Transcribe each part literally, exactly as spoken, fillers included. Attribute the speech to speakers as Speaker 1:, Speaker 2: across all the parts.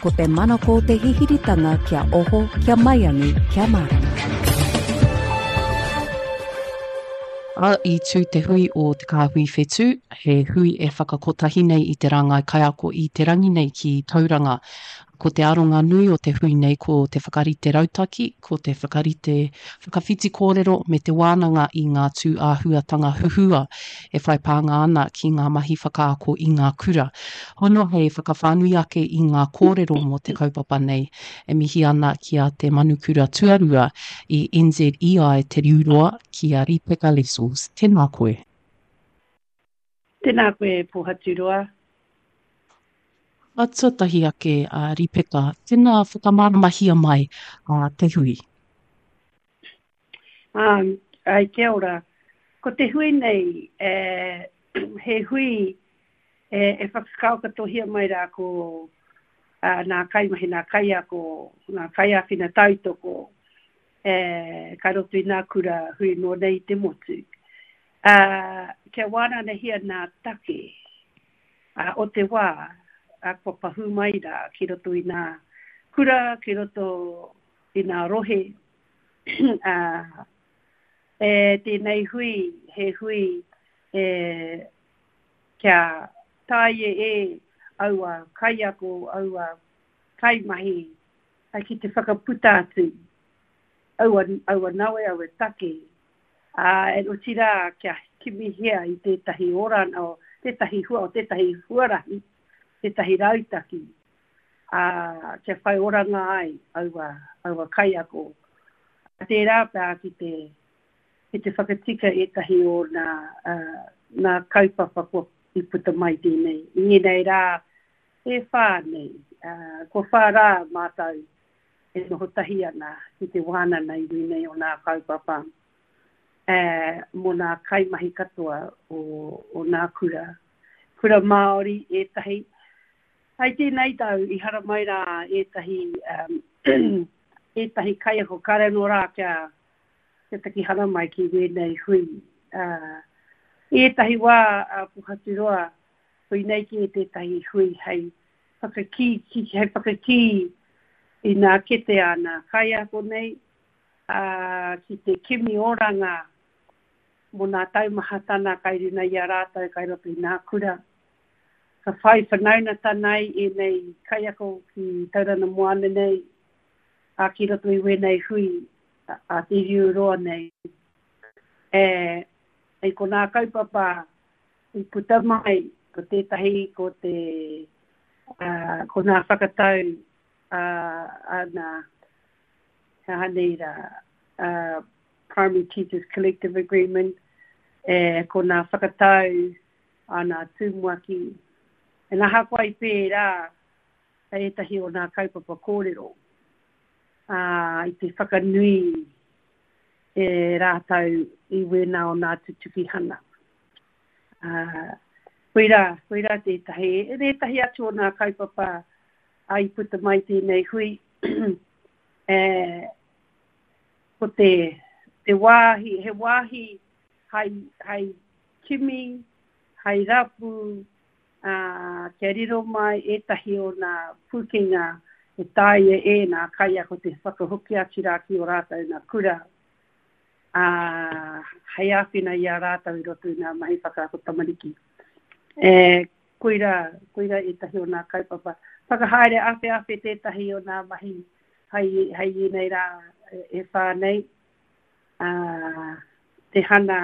Speaker 1: Ko te manako o te hihiritanga kia oho, kia maiangi, kia mārama.
Speaker 2: A, i tū te hui o Te Kāhui Whetū, he hui e whakakotahi nei i te rāngai kaiako i te rangi nei ki Tauranga. Ko te aronga nui o te hui nei ko te whakarite rautaki, ko te whakarite whakawhiti kōrero me te wānanga i ngā tū āhuatanga huhua e whai pānga ana ki ngā mahi whakaako i ngā kura. Hono hei whakawhānui ake i ngā kōrero mō te kaupapa nei, e mihi ana ki a Te Manukura Tuarua i N Z E I Te Riu Roa ki a Ripeka Lessels. Tēnā koe.
Speaker 3: Tēnā koe, Pōhaturoa.
Speaker 2: A tuatahi ake, a Ripeka, tēnā whakamāramahia mai a te hui.
Speaker 3: Um, ai, kia ora. Ko te hui nei, eh, he hui e, e whakakaokatohia mai rā ko, uh, nā kaimahi, nā kaiako, nā kaiāwhina tautoko, e, kai roto i nā kura hui noa nei te motu. Uh, kia wānanahia nā take, uh, o te wā, a kua pahū mai rā ki roto i nā kura, ki roto i nā rohe. Uh, e, tēnei hui, he hui e, kia tae e aua kaiako, aua kaimahi, ai ki te whakaputa atu aua, aua nawe, aua take. Uh, e otirā kia kimihia i tētahi orana, o tētahi hua, o tētahi huarahi, tētahi rautaki, uh, kia whai oranga ai aua, aua kaiako. Tērā pea ki te, ki te whakatika ētahi o nā, uh, nā kaupapa kua i puta mai tēnei. I ēnei rā, e whā nei, uh, kua whā rā mātou e noho tahi ana ki te wānana i wēnei o nā kaupapa, eh, mō nā kaimahi katoa o, o nā kura. Kura Māori ētahi. Hai tēnei tau i haramai rā ētahi, um, ētahi kaiako kāre anō rā kia, kia taki haramai ki wēnei hui. Uh, ētahi wā a Pōhaturoa, hui nei ki tētahi hui hei whakakī, ki, hei whakakī i nā kete a nā kaiako nei, uh, ki te kimi oranga mō nā taumahatana kai runa i a rātou kai roto i nā kura. Ka whai whanaungatanga ai ēnei kaiako ki Tauranga Moana nei, a ki roto i wēnei hui a, a Te Riu Roa nei. E, e ko nā kaupapa i puta mai, ko tētahi, ko te, uh, ko nā whakatau, uh, a nā, he aha nei rā, uh, Primary Teachers Collective Agreement, e, ko nā whakatau a nā tumuaki. E nā hakoa i pērā, hei ētahi o nā kaupapa kōrero, uh, i te whakanui e rātou i wēnā o nā tutukihana. Uh, koirā, koirā tētahi. E tētahi atu o nā kaupapa a i puta mai tēnei hui, e, ko te, te wāhi, he wāhi hai, hai kimi, hai rapu, uh, kia riro mai ētahi o nā pūkenga e taea e nā kaiako te whakahoki atu rā ki o rātou nā kura, uh, hei āwhina i a rātou i roto i nā mahi whakaako tamariki. E, koirā, koirā ētahi o nā kaupapa. Whakahaere awheawhe tētahi o nā mahi hei, hei ēnei rā e, e whā nei. Uh, te hana,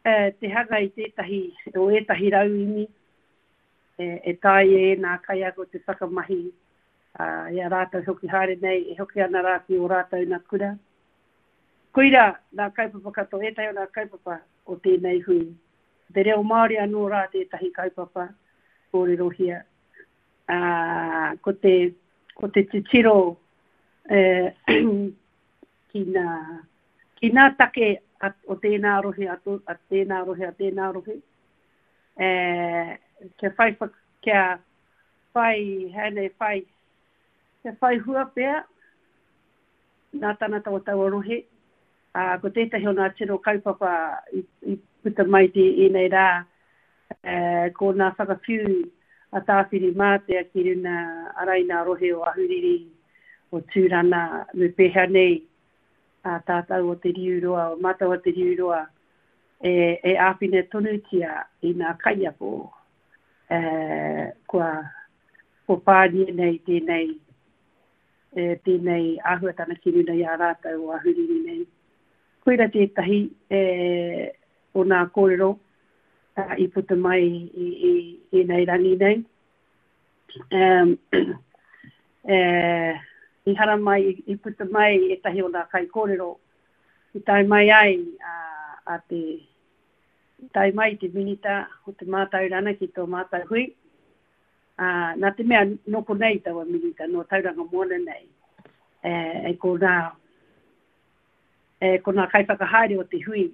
Speaker 3: e, te hanga i tētahi, o ētahi rauemi, e, e taea e nā kaiako te whakamahi, uh, i a rātou hoki haere nei, e hoki ana rā ki o rātou nā kura. Koirā, nā kaupapa katoa, ētahi o nā kaupapa o tēnei hui. Te reo Māori anō rā tētahi kaupapa kōrerohia. Uh, ko te, ko te titiro, eh, ki nā, ki nā take a, o tēnā rohe, a, to, a tēnā rohe, a tēnā rohe. Eh, kia whai, kia whai, hei nei, whai, kia whai hua pea nā tangata o taua rohe. Uh, ko tētahi o nā tino kaupapa i, i puta mai te ēnei rā, eh, ko nā whakawhiu a Tāwhiri Mātea ki runa ara i nā rohe o Ahuriri, o Tūrana, me pēhea nei a tātou o Te Riu Roa, o mātou o Te Riu Roa, e, e āwhina tonutia i nā kaiako e, kua, kua pānia nei tēnei, e, tēnei āhuatana ki runa i a rātou o Ahuriri nei. Koira tētahi e, o nā kōrero uh, i puta mai i, i, i nei rangi nei. Um, e, i hara mai, i puta mai ētahi o nā kai kōrero i tae mai ai a, a te i tae mai te minita o te mātaurana ki tō mātau hui. Uh, nā te mea nō konei taua minita, nō Tauranga Moana nei. E, e ko nā, e, ko nā kaiwhakahaere o te hui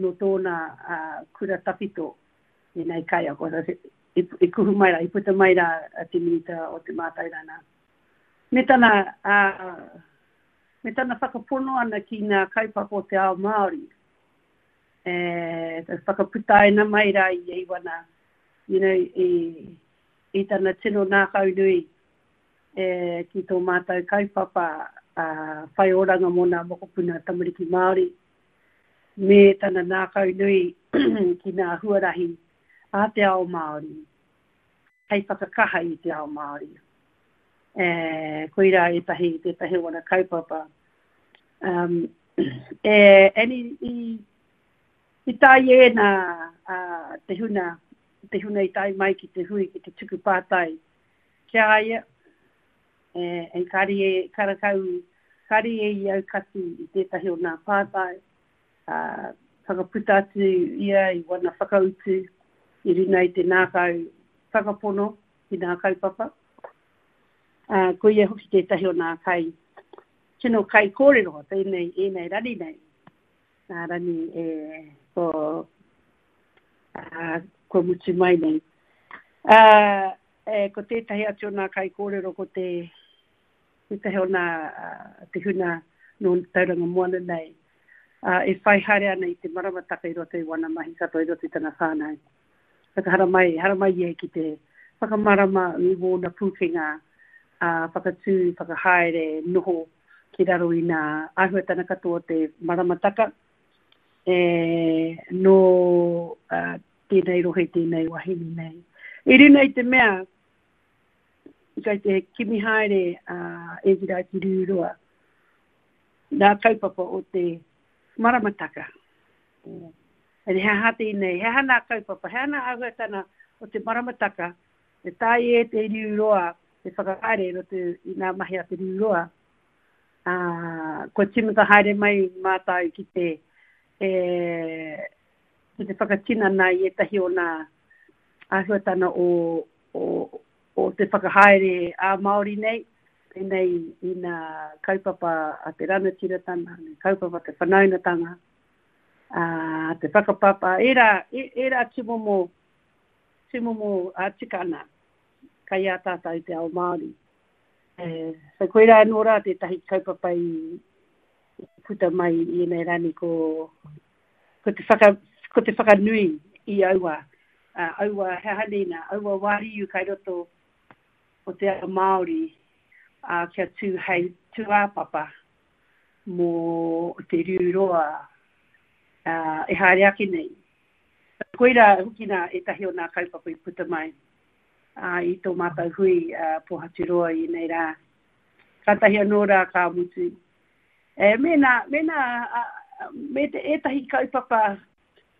Speaker 3: nō tōna uh, kura tawhito i nei kaiako. I, i kuhu mai rā, i puta mai rā te minita o te mātaurana. Me tana, uh, me tana whakapono ana ki ngā kaupapa o te ao Māori. E, whakaputaina mai rā i wana, you know, i, i tana tino ngākau nui e, ki tō mātou kaupapa uh, whai oranga mō ngā mokopuna tamariki Māori, me tana ngākau nui ki ngā huarahi a te ao Māori, hei whakakaha i te ao Māori. E, koira ētahi, tētahi wana kaupapa. Um, e, and i, i, i tae e nā uh, te huna, te huna i tae mai ki te hui, ki te tuku pātai ki a ia, e, e kari e, karakau, kari e i aukati i tētahi o nā pātai, uh, whakaputa atu ia i wana whakautu i runa i te ngākau whakapono ki nā kaupapa. Uh, ko ia hoki tētahi o nā kai, tino kai kōrero, tēnei, ēnei rani nei. Nā rani e, ko, uh, kua mutu mai nei. Uh, e, ko tētahi atu o nā kai kōrero ko te, tētahi o nā uh, te huna nō Tauranga Moana nei. Uh, e whai haere ana i te maramataka i roto i wana mahi katoa i roto i tana whānau. Whakahara mai, hara mai ia ki te whakamarama i wōna pūkenga, uh, whakatū, whakahaere, noho ki raro i nā āhuatana katoa te maramataka. E, nō uh, tēnei rohe, tēnei wahine nei. I runa i te mea, kai te kimi haere uh, e gira ki Riuroa, nā kaupapa o te maramataka. E he aha tēnei, he aha nā kaupapa, he aha nā āhuatana o te maramataka, e tae e te Riuroa, te whakahaere roto i nā mahi a te Riuroa. Uh, kua tīmata haere mai mātou ki te, e, ki te whakatinana i ētahi o nā āhuatana o, o, o te whakahaere a Māori nei, tēnei i nā kaupapa a te ranatiratanga, kaupapa te whanaungatanga, uh, te whakapapa, ērā, ērā tūmomo, tūmomo uh, tikana kai a tātou te ao Māori. E, so koirā anō rā tētahi kaupapa i, i puta mai i ēnei rani ko, ko, te, whaka, ko te whakanui i aua, uh, aua he aha nei nā, aua wāriu kai roto o te ao Māori uh, kia tū hei tūāpapa mō te Riu Roa uh, e haere ake nei. Koirā hoki nā ētahi o nā kaupapa i puta mai uh, i tō mātou hui uh, Pōhaturoa i nei rā. Kātahi anō rā ka mutu. E, mēnā, mēnā, uh, me te ētahi kaupapa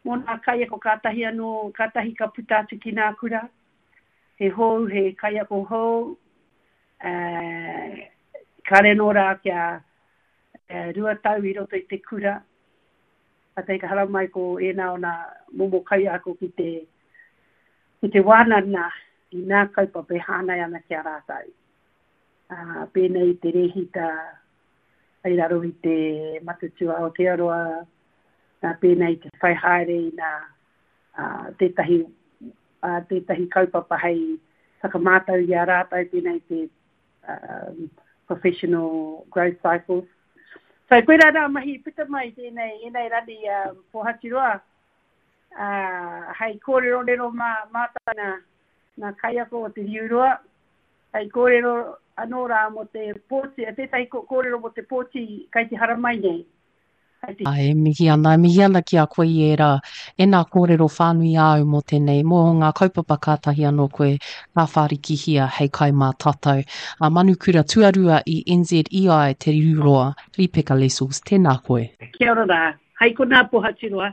Speaker 3: mō nā kaiako kātahi anō, kātahi ka puta atu ki nā kura. He hou, he kaiako hou. Uh, kāre anō rā kia uh, rua tau i roto i te kura. Kātahi ka hara mai ko ēnā o nā momo kaiako ki te, ki te wānana i nā kaupapa e hāngai ana ki a rātou. Uh, pēnei te rehita ai raro i te Matatū Aotearoa, uh, pēnei te whai haere i nā uh, tētahi, uh, tētahi kaupapa hei whakamātau i a rātou, pēnei te um, professional growth cycles. So koirā nā mahi puta mai tēnei, ēnei rani um, Pōhaturoa, uh, hei kōrerorero mā mātou nā, nā kaiako o te Riuroa, Hei kōrero anō rā mō te pōti, tētahi kōrero mō te pōti kai te haramai nei.
Speaker 2: Ai, e mihi ana, e mihi ana ki a koe i ērā, e nā kōrero whānui āu mō tēnei, mō ngā kaupapa kātahi anō koe ka whārikihia hei kai mā tātou. A Manukura tuarua i N Z E I Te Riu Roa, Ripeka Lessels, tēnā koe.
Speaker 3: Kia ora rā. Hai konā, Pohaturoa.